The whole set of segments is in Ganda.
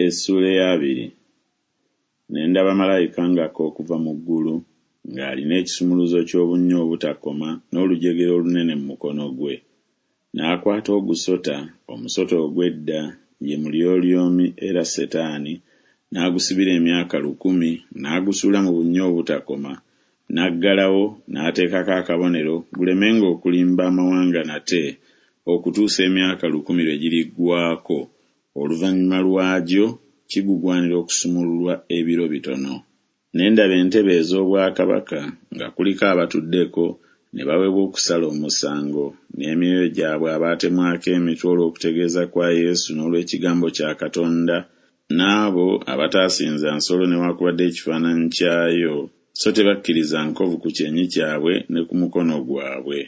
Essuula ey'abiri. Ne ndaba malayika ng'akka okuva mu ggulu, ng'alina ekisumuluzo ky'obunnya obutakoma n'olujegere olunene mu mukono gwe. N'akwata ogusota, omusota ogw'edda, ye Mulyolyomi era Setaani, n'agusibira emyaka 1000, n'agusuula mu bunnya obutakoma, n'aggalawo n'ateekako akabonero gulemenga okulimba amawanga nate, okutuusa emyaka 1000 lwe giriggwaako, oluvannyuma lwagyo kigugwanira okusumululwa ebiro bitono. Ne ndaba entebe ez'obwakabaka, nga kuliko abatuddeko, ne baweebwa okusala omusango, n'emyoyo gyabwe abaatemwako emitwe olw'okutegeeza kwa Yesu n'olw'ekigambo kya Katonda, n'abo abataasinza nsolo newakubadde ekifaananyi kyayo, so tebakkiriza nkovu ku kyenyi kyabwe ne ku mukono gwabwe,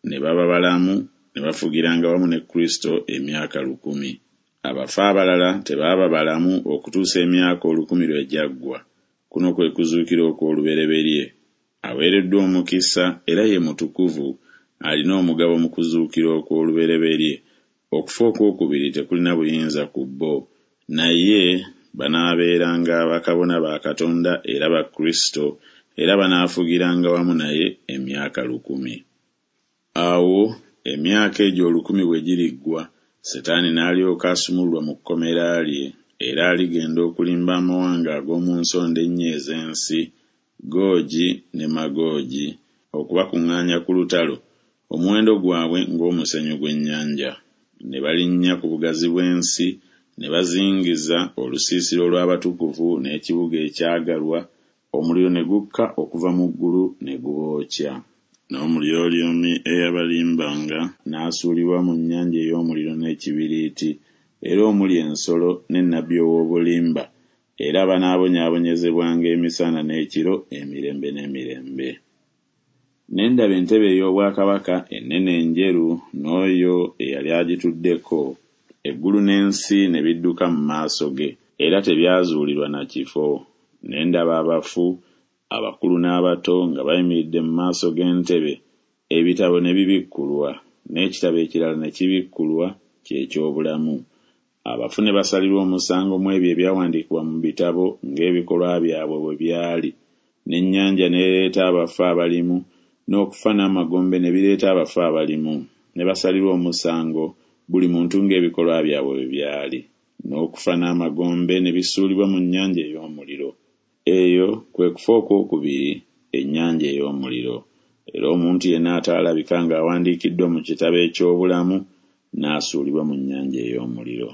ne baba balamu, ne bafugiranga wamu ne Kristo emyaka 1000. Abafu abalala tebaaba balamu okutuusa emyaka 1000 lwe gyaggwa. Kuno kwe kuzuukira okw'olubereberye. Aweereddwa omukisa era ye mutukuvu alina omugabo mu kuzuukira okw'olubereberye, okufa okw'okubiri tekulina buyinza ku bo, naye banaabeeranga bakabona ba Katonda era ba Kristo, era banaafugiranga wamu naye emyaka 1000. Awo emyaka egyo 1000 bwe giriggwa, Setaani n'alyoka asumululwa mu kkomera lye, era aligenda okulimba amawanga ag'omu nsonda ennya ez'ensi, Googi ne Magoogi, okubakuŋŋaanya ku lutalo, omuwendo gwabwe ng'omusenyu gw'ennyanja. Ne balinnya ku bugazi bw'ensi, ne bazingiza olusiisira olw'abatukuvu n'ekibuga ekyagalwa, omuliro ne gukka okuva mu ggulu ne gubookya. N'omulyolyomi eyabalimbanga n'asuulibwa mu nnyanja ey'omuliro n'ekibiriiti, era omuli ensolo ne nnabbi ow'obulimba, era banaabonyaabonyezebwanga emisana n'ekiro emirembe n'emirembe. Ne ndaba entebe ey'obwakabaka ennene enjeru n'oyo eyali agituddeko, eggulu n'ensi ne bidduka mu maaso ge, era tebyazuulirwa na kifo. Ne ndaba abafu, abakulu n'abato, nga bayimiridde mu maaso g'entebe, ebitabo ne bibikkulwa, n'ekitabo ekirala ne kibikkulwa, kye ky'obulamu. Abafu ne basalirwa omusango mu ebyo ebyawandiikibwa mu bitabo ng'ebikolwa byabwe bwe byali. N'ennyanja n'ereeta abafu abalimu, n'okufa n'amagombe ne bireeta abafu abalimu, ne basalirwa omusango, buli muntu ng'ebikolwa byabwe bwe byali. N'okufa n'amagombe ne bisuulibwa mu nnyanja ey'omuliro. Eyo kwe kufa okw'okubiri, ennyanja ey'omuliro. Era omuntu yenna ataalabika ng'awandiikiddwa mu kitabo eky'obulamu, n'asuulibwa mu nnyanja ey'omuliro.